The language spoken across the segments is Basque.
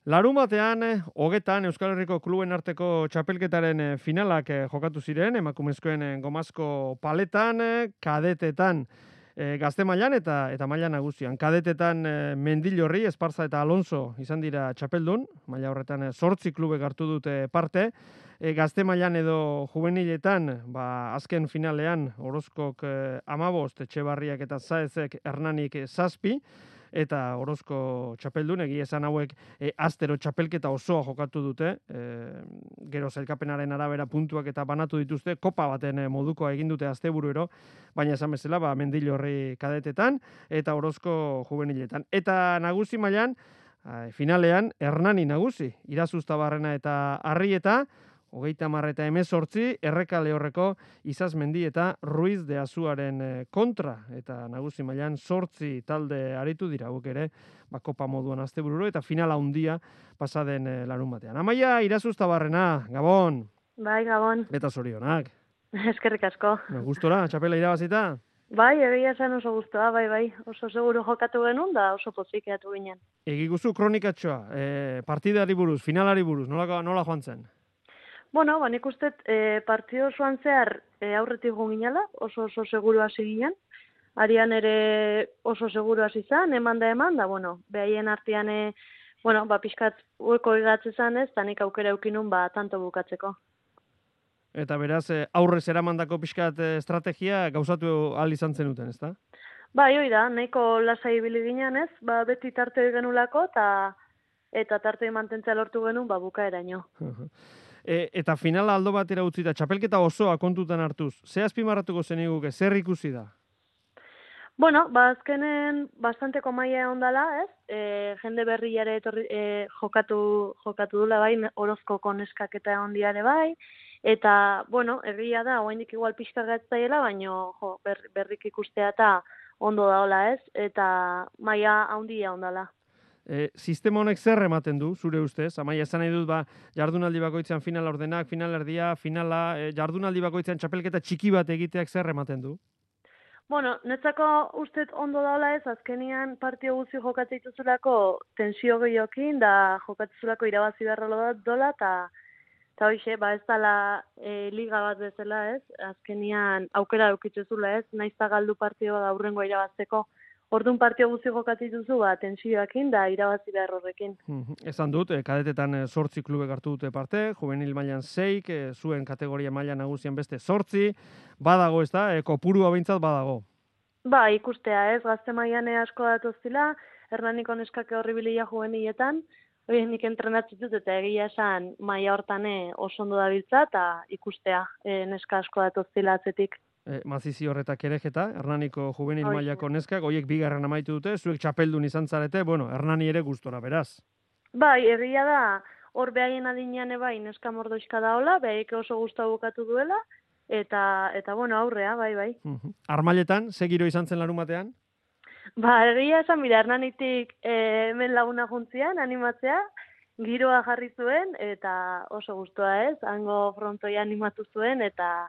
Larunbatean, hogetan Euskal Herriko kluben arteko txapelketaren finalak jokatu ziren, emakumezkoen gomazko paletan, kadetetan gazte mailan eta maila nagusian. Kadetetan Mendillorri, Esparza eta Alonso izan dira txapeldun, maila horretan 8 klubek hartu dute parte. Gazte mailan edo juveniletan, azken finalean Orozkok 15, Etxebarriak eta Zaezek Hernanik 7, eta Orozko txapeldun, egia esan hauek astero txapelketa osoa jokatu dute, gero sailkapenaren arabera puntuak eta banatu dituzte, kopa baten modukoa egin dute asteburuero, baina esan bezala, Mendillorri kadetetan eta Orozko juveniletan. Eta nagusi mailan, finalean, Hernani nagusi, Irazuztabarrena eta Arrieta, 30 eta 18, Erreka Lehorreko Izazmendi eta Ruiz de Azuaren kontra, eta nagusi mailan 8 talde aritu dira, guk ere, kopa moduan astebururo, eta finala handia pasaden larunbatean. Amaia Irazuztabarrena, Gabon! Bai, Gabon. Eta zorionak. Eskerrik asko. Gustora, txapela irabazita? Bai, egia esan oso guztua, bai. Oso seguru jokatu genuen, da oso pozikeatu ginen. Egiguzu kronikatxoa, partidari buruz, finalari buruz, nola joan zen? Bueno, nik uste partido osoan zehar aurretik ginela, oso seguru hasi ginen. Arian ere oso seguru hasi zan, eman da, behaien artean, pixkat ueko egatze zan ez, eta nik aukera eukinun, tanto bukatzeko. Eta beraz, aurrez eramandako pixkat estrategia gauzatu ahal izan zenuten, ezta? Bai, hoi da, nahiko lasai ibili ginen ez, beti tarte genulako, eta tarte mantentzea lortu genuen, bukaeraino. Eta finala aldo batera utzita, txapelketa osoa kontutan hartuz, ze azpimarratuko zeniguke, zer ikusi da? Bueno, azkenen bastanteko maila ondala, ez? Jende berriare jokatu dula bai, Orozkoko neskak eta ondiare bai, eta, egia da, oraindik igual pixka gatzaiela, baino berrik ikustea eta ondo daola, ez? Eta maila handia ondala. Sistema honek zer ematen du, zure ustez? Amaia, esan nahi dut, jardunaldi bakoitzean final ordenak, final erdia, finala, jardunaldi bakoitzean txapelketa txiki bat egiteak zer ematen du? Netzako ustez ondo daula ez, azkenian partio guzti jokatzea dituzulako tensio gehiokin, da jokatzulako irabazi beharra dola, eta hoxe, ez dala liga bat bezala ez, azkenian aukera eukitzuzula ez, naizta galdu partio da aurrengo irabazteko. Orduan partio guzti jokatzen duzu, tensioakin da irabazi behar horrekin. Esan dut, kadetetan 8 klubek hartu dute parte, juvenil mailan 6, zuen kategoria maila nagusian beste 8, badago ez da, kopurua behintzat badago. Ikustea ez, gazte mailan asko datoztila, Hernaniko neskake horribilia juveniletan, nik entrenatzen dut eta egia esan maila hortan oso ondo dabiltza, eta ikustea neska asko datoztila atzetik. Mazizi horretak erejeta, Hernaniko juvenil mailako neskak, horiek bigarren amaitu dute, zuek txapeldun izan zarete, Hernani ere gustora, beraz. Egia da, hor behaien adinean neska mordoizka daola, behaik oso guztua bukatu duela, eta aurrea, bai. Armailetan, ze giro izan zen larunbatean? Egia esan, Hernanitik hemen laguna juntzian, animatzea, giroa jarri zuen, eta oso guztua ez, hango frontoia animatu zuen, eta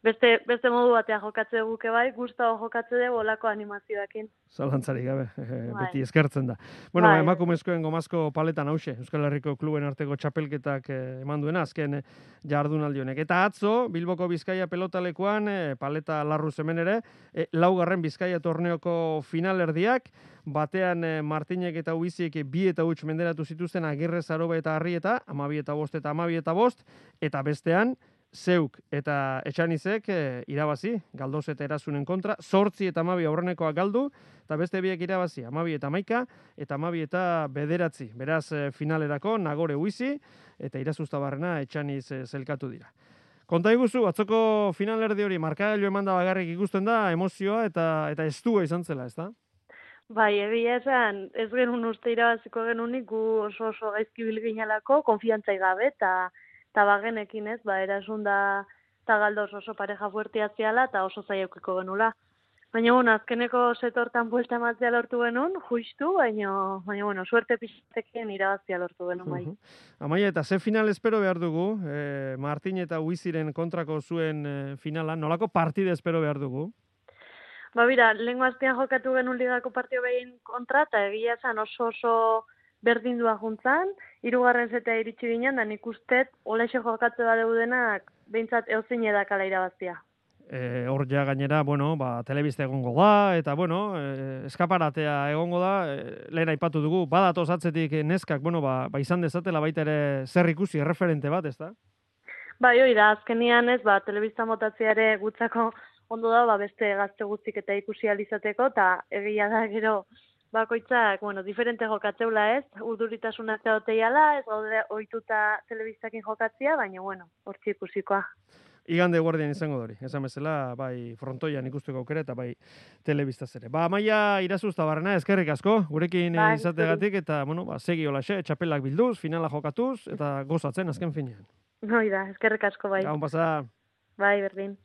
beste modu batean jokatze duguke bai, guztago jokatze dugu olako animazioakin. Zalantzarik gabe, beti eskertzen da. Emakumezkoen gomazko paletan hause, Euskal Herriko kluben arteko txapelketak eman duena, azken jardunaldi honek. Eta atzo, Bilboko Bizkaia pelotalekuan, paleta larruz hemen ere, 4. Bizkaia torneoko finalerdiak, batean Martinek eta Uizik 2 eta 8 menderatu zituzten Agirre, Zaroba eta Arrieta, 12 eta 12, eta bestean, Zeuk eta Etxanizek irabazi, Galdoz eta Erasunen kontra, 8 eta 12 aurrenekoak galdu, eta beste biek irabazi, 12 eta 11, eta 12 eta 9. Beraz, finalerako, Nagore Uizi, eta Irazuztabarrena Etxaniz zelkatu dira. Konta iguzu, atzoko finalerdi hori, markagailu eman da bagarrik ikusten da, emozioa eta estua izan zela, ez da? Egia esan, ez genuen uste irabaziko genunik, gu oso gaizki bilginalako, konfiantzai gabe, eta bagenekin ez, Erasun da eta Galdoz oso pareja fuertea ziala eta oso zaiaukiko genula. Baina, azkeneko setortan buelta ematzea lortu genuen, justu, baina, suerte pixatekien irabazia lortu genuen bai. Amaia, eta ze final espero behar dugu, Martin eta Uiziren kontrako zuen finala, nolako partide espero behar dugu? Lehengo astean jokatu genuen ligako partio behin kontra, eta egia esan oso berdindua juntzan, hirugarren setea iritsi ginen, da nik uste olexe jokatze badeu denak, behintzat eozin edakala irabaztia. Hor ja gainera, bueno, telebista egongo da, eta bueno, eskaparatea egongo da, lehen aipatu dugu, badatoz atzetik neskak, bueno, izan dezatela baita ere zer ikusi, erreferente bat, ez da? Bai, hori da, azkenian ez, telebista motatzea ere gutzako ondo da, beste gazte guztik eta ikusi alizateko, eta egia da gero bakoitzak, bueno, diferente jokatzeula ez, urduritasuna zeoteiala, ez gaude ohituta telebistakin jokatzea, baina, bueno, hortzi ikusikoa. Igande guardian izango dori, esan bezala, bai frontoian ikusteko aukera eta bai telebistaz ere. Amaia Irazuzta Barrena, eskerrik asko, gurekin izategatik, eta, bueno, segi holaxe, txapelak bilduz, finala jokatuz, eta gozatzen azken finean. Hoi da, eskerrik asko bai. Gaun pasa. Bai, berdin.